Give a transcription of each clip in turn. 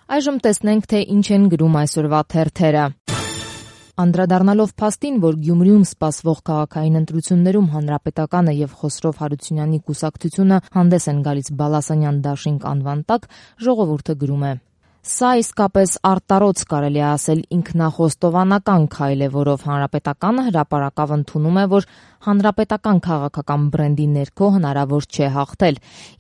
Այժմ տեսնենք, թե ինչ են գրում այսօրվա թերթերը։ Անդրադառնալով փաստին, որ Գյումրիում սպասվող քաղաքային ընտրություններում Հանրապետականը եւ Խոսրով Հարությունյանի կուսակցությունը հանդես են գալիս Բալասանյան դաշինք անվան տակ, ժողովուրդը գրում է. Սա իսկապես արտարոց կարելի է ասել ինքնախոստովանական քայլ է, որով Հանրապետականը հրապարակավ ընդունում է, որ հանրապետական քաղաքական բրենդի ներքո հնարավոր չէ հաղթել։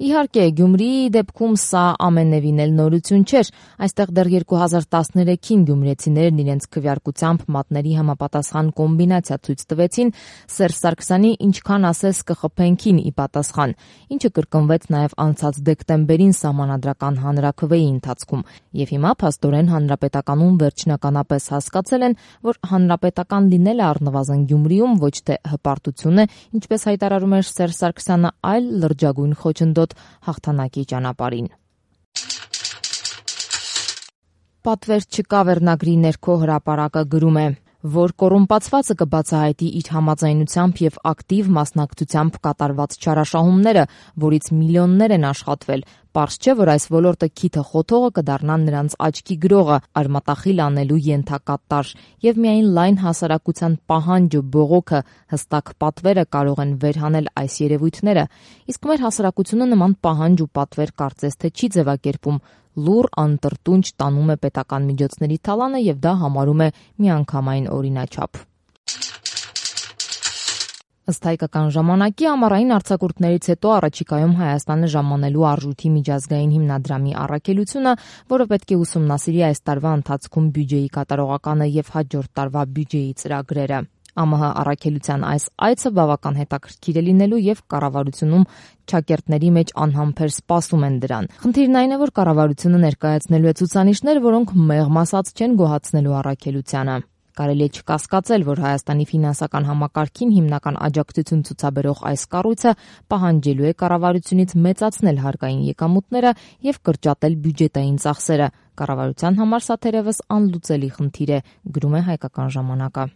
Իհարկե, Գյումրիի դեպքում սա ամենևին էլ նորություն չէր։ Այստեղ դեռ 2013-ին գյումրեցիներն իրենց քվեարկությամբ մատների համապատասխան կոմբինացիա ցույց տվեցին Սերժ Սարգսյանի «ինչքան ասես կխփենքին» ի պատասխան, ինչը կրկնվեց նաև անցած դեկտեմբերին սահմանադրական հանրաքվեի ընթացքում։ Եվ հիմա փաստորեն Հանրապետականում վերջնականապես հասկացել են, որ հանրապետական լինելը առնվազն Գյումրիում ոչ թե հպարտություն է, ինչպես հայտարարում էր Սերժ Սարգսյանը, այլ լրջագույն խոչընդոտ հաղթանակի ճանապարհին։ Պատվեր չկա վերնագրի ներքո հրապարակը գրում է, որ կոռումպացվածը կբացահայտի իր համաձայնությամբ եւ ակտիվ մասնակցությամբ կատարված չարաշահումները, որից միլիոններ են աշխատվել։ Պարզ չէ, որ այս ոլորտը քիթը խոթողը կդառնա նրանց աչքի գրողը, արմատախիլ անելու ենթակա տարր, եւ միայն լայն հասարակության պահանջը, բողոքը, հստակ պատվերը կարող են վերհանել այս երևույթները, իսկ մեր հասարակությունը նման պահանջ ու պատվեր կարծես թե չի ձևակերպում, լուռ անտրտունջ տանում է պետական միջոցների թալանը եւ դա համարում է միանգամայն օրինաչափ։ Ըստ հայկական ժամանակի ամառային արձակուրդներից հետո առաջիկայում Հայաստանը ժամանելու արժույթի միջազգային հիմնադրամի առաքելությունը, որը պետք է ուսումնասիրի այս տարվա ընթացքում բյուջեի կատարողականը եւ հաջորդ տարվա բյուջեի ծրագրերը։ ԱՄՀ առաքելության այս այցը բավական հետաքրքիր է լինելու եւ կառավարությունում ճակերտների մեջ անհամբեր սպասում են դրան։ Խնդիրն այն է, որ կառավարությունը ներկայացնելու է ցուցանիշներ, որոնք մեղմ ասած չեն գոհացնելու առաքելությանը։ Կարելի է չկասկածել, որ Հայաստանի ֆինանսական համակարգին հիմնական աջակցություն ցուցաբերող այս կառույցը պահանջելու է կառավարությունից մեծացնել հարկային եկամուտները եւ կրճատել բյուջետային ծախսերը։ Կառավարության համար սա թերևս անլուծելի խնդիր է, գրում է Հայկական ժամանակը։